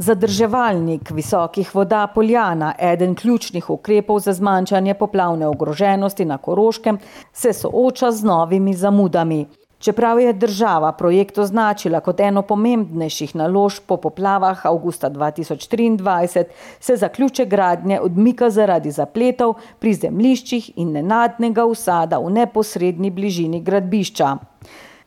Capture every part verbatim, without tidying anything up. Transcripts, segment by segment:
Zadrževalnik visokih voda Poljana, eden ključnih ukrepov za zmanjšanje poplavne ogroženosti na Koroškem, se sooča z novimi zamudami. Čeprav je država projekt označila kot eno pomembnejših naložb po poplavah avgusta dva tisoč triindvajset, se zaključek gradnje odmika zaradi zapletov pri zemljiščih in nenadnega usada v neposredni bližini gradbišča.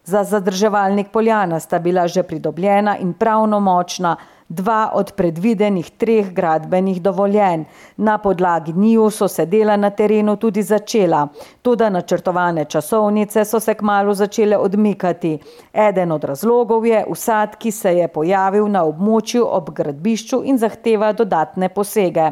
Za zadrževalnik Poljana sta bila že pridobljena in pravnomočna dva od predvidenih treh gradbenih dovoljenj. Na podlagi njiju so se dela na terenu tudi začela, toda načrtovane časovnice so se kmalu začele odmikati. Eden od razlogov je usad, ki se je pojavil na območju ob gradbišču in zahteva dodatne posege.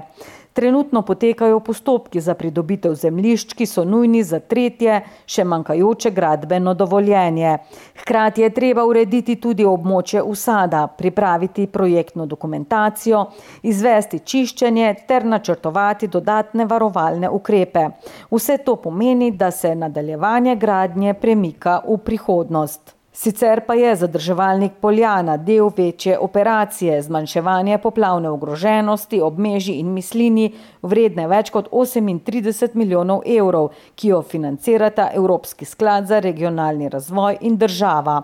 Trenutno potekajo postopki za pridobitev zemljišč, ki so nujni za tretje, še manjkajoče gradbeno dovoljenje. Hkrati je treba urediti tudi območje usada, pripraviti projektno dokumentacijo, izvesti čiščenje ter načrtovati dodatne varovalne ukrepe. Vse to pomeni, da se nadaljevanje gradnje premika v prihodnost. Sicer pa je zadrževalnik Poljana del večje operacije zmanjševanja poplavne ogroženosti ob Meži in Mislini vredne več kot osemintrideset milijonov evrov, ki jo financirata Evropski sklad za regionalni razvoj in država.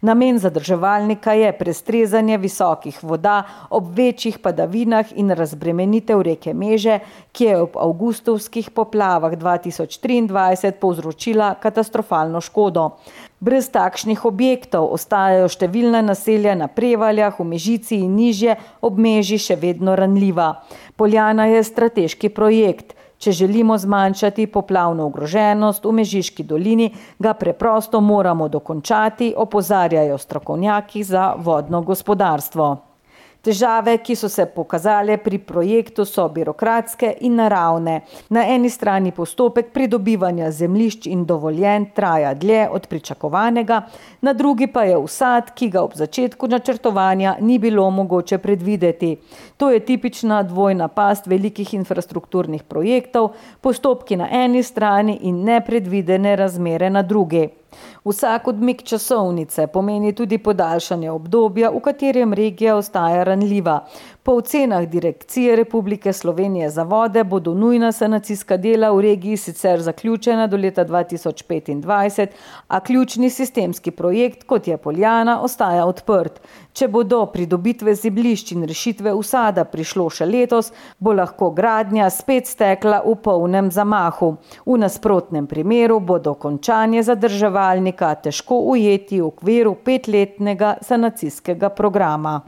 Namen zadrževalnika je prestrezanje visokih voda ob večjih padavinah in razbremenitev reke Meže, ki je ob avgustovskih poplavah dva tisoč triindvajset povzročila katastrofalno škodo. Brez takšnih objektov ostajajo številna naselja na Prevaljah, v Mežici in nižje ob Meži še vedno ranljiva. Poljana je strateški projekt. Če želimo zmanjšati poplavno ogroženost v Mežiški dolini, ga preprosto moramo dokončati, opozarjajo strokovnjaki za vodno gospodarstvo. Težave, ki so se pokazale pri projektu, so birokratske in naravne. Na eni strani postopek pridobivanja zemljišč in dovoljenj traja dlje od pričakovanega, na drugi pa je usad, ki ga ob začetku načrtovanja ni bilo mogoče predvideti. To je tipična dvojna past velikih infrastrukturnih projektov, postopki na eni strani in nepredvidene razmere na drugi. Vsak odmik časovnice pomeni tudi podaljšanje obdobja, v katerem regija ostaja ranljiva. Po ocenah Direkcije Republike Slovenije za vode bodo nujna sanacijska dela v regiji sicer zaključena do leta dva tisoč petindvajset, a ključni sistemski projekt, kot je Poljana, ostaja odprt. Če bo do pridobitve zemljišč in rešitve usada prišlo še letos, bo lahko gradnja spet stekla v polnem zamahu. V nasprotnem primeru bo dokončanje zadrževalnika težko ujeti v okviru petletnega sanacijskega programa.